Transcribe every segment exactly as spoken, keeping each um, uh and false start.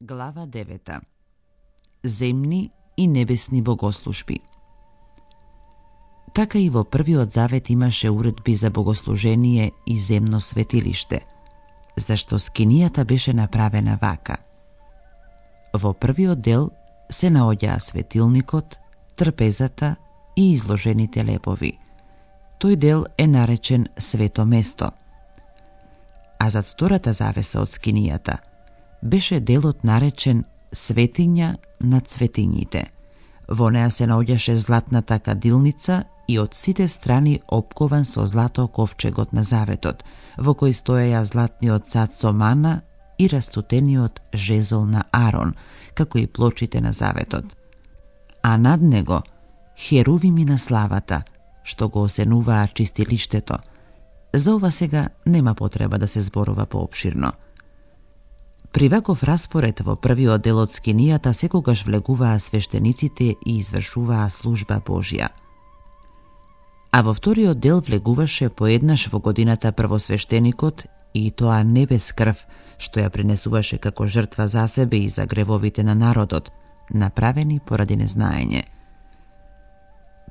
Глава девета. Земни и небесни богослужби. Така и во првиот завет имаше уредби за богослужение и земно светилиште, зашто скинијата беше направена вака. Во првиот дел се наоѓаа светилникот, трпезата и изложените лепови. Тој дел е наречен свето место. А зад втората завеса од скинијата беше делот наречен светиња над светињите. Во неа се наоѓаше златната кадилница и од сите страни опкован со злато ковчегот на заветот, во кој стоеја златниот цац со мана и растутениот жезол на Арон, како и плочите на заветот. А над него херувими на славата, што го осенуваа чистилиштето. За ова сега нема потреба да се зборува поопширно. При ваков распоред во првиот дел од скинијата секогаш влегуваа свештениците и извршуваа служба Божја. А во вториот дел влегуваше поеднаш во годината првосвештеникот и тоа не без крв, што ја принесуваше како жртва за себе и за гревовите на народот, направени поради незнаење.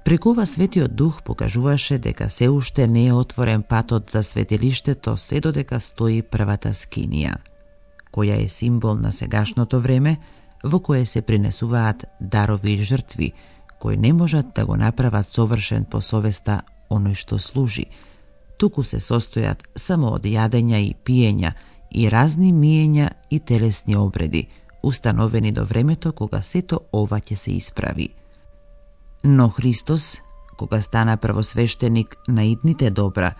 Преку ова Светиот Дух покажуваше дека се уште не е отворен патот за светилиштето се додека стои првата скинија, која е символ на сегашното време, во кое се принесуваат дарови и жртви, кои не можат да го направат совршен по совеста оној што служи, туку се состојат само од јадења и пиења и разни миења и телесни обреди, установени до времето кога сето ова ќе се исправи. Но Христос, кога стана првосвештеник на идните добра,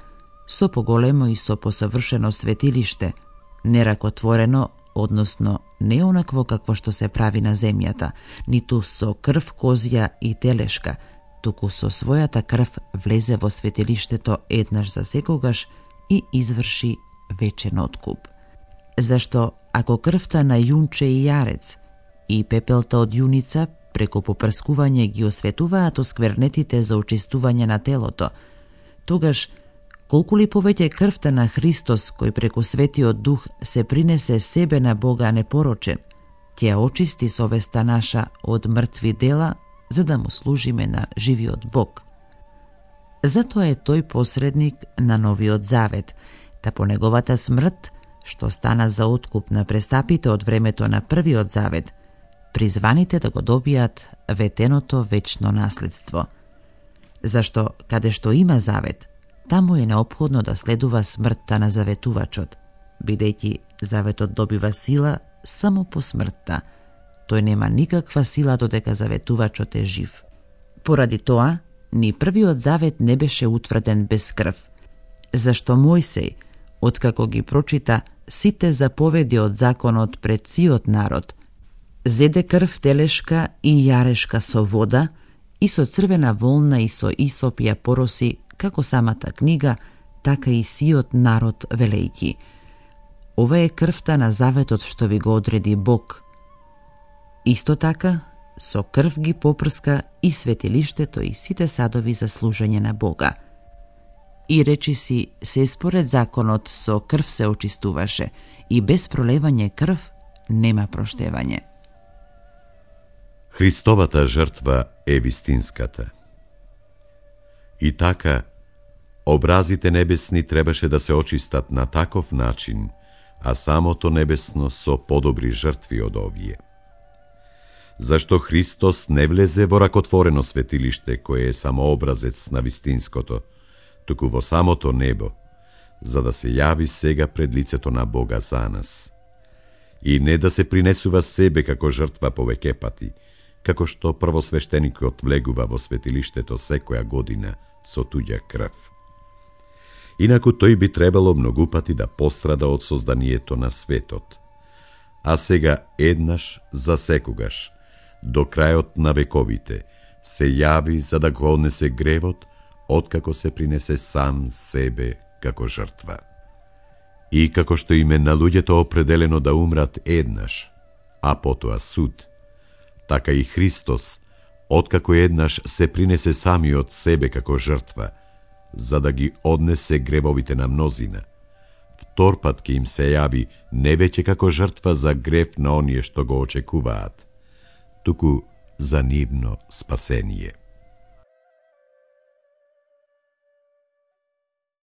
со поголемо и со посовршено светилиште, неракотворено, односно не онакво какво што се прави на земјата, ниту со крв козја и телешка, туку со својата крв влезе во светилиштето еднаш за секогаш и изврши вечен откуп. Зашто ако крвта на јунче и јарец и пепелта од јуница преку попрскување ги осветуваат осквернетите за очистување на телото, тогаш колку ли повеќе крвта на Христос, кој преку Светиот Дух се принесе себе на Бога непорочен, ќе очисти совеста наша од мртви дела, за да му служиме на живиот Бог. Затоа е тој посредник на новиот завет, та по неговата смрт, што стана за откуп на престапите од времето на првиот завет, призваните да го добијат ветеното вечно наследство. Зашто каде што има завет, таму е неопходно да следува смртта на заветувачот, бидејќи заветот добива сила само по смртта. Тој нема никаква сила додека заветувачот е жив. Поради тоа, ни првиот завет не беше утврден без крв, зашто Мојсей, откако ги прочита сите заповеди од законот пред сиот народ, зеде крв телешка и јарешка со вода и со црвена волна и со исоп ја пороси како самата книга, така и сиот народ велејќи: ова е крвта на заветот што ви го одреди Бог. Исто така, со крв ги попрска и светилиштето и сите садови за служење на Бога. И речи си, се според законот со крв се очистуваше и без пролевање крв нема проштевање. Христовата жртва е вистинската. И така, образите небесни требаше да се очистат на таков начин, а самото небесно со подобри жртви од овие. Зашто Христос не влезе во ракотворено светилиште, кое е само образец на вистинското, туку во самото небо, за да се јави сега пред лицето на Бога за нас. И не да се принесува себе како жртва повеќе пати, како што првосвештеникот влегува во светилиштето секоја година со туѓа крв. Инаку тој би требало многу пати да пострада од созданието на светот. А сега еднаш за секогаш, до крајот на вековите, се јави за да го однесе гревот, откако се принесе сам себе како жртва. И како што им е на луѓето определено да умрат еднаш, а потоа суд, така и Христос, откако еднаш се принесе самиот себе како жртва, за да ги однесе гревовите на мнозина, торпат ке им се јави не веќе како жртва за грев на оние што го очекуваат, туку за нивно спасение.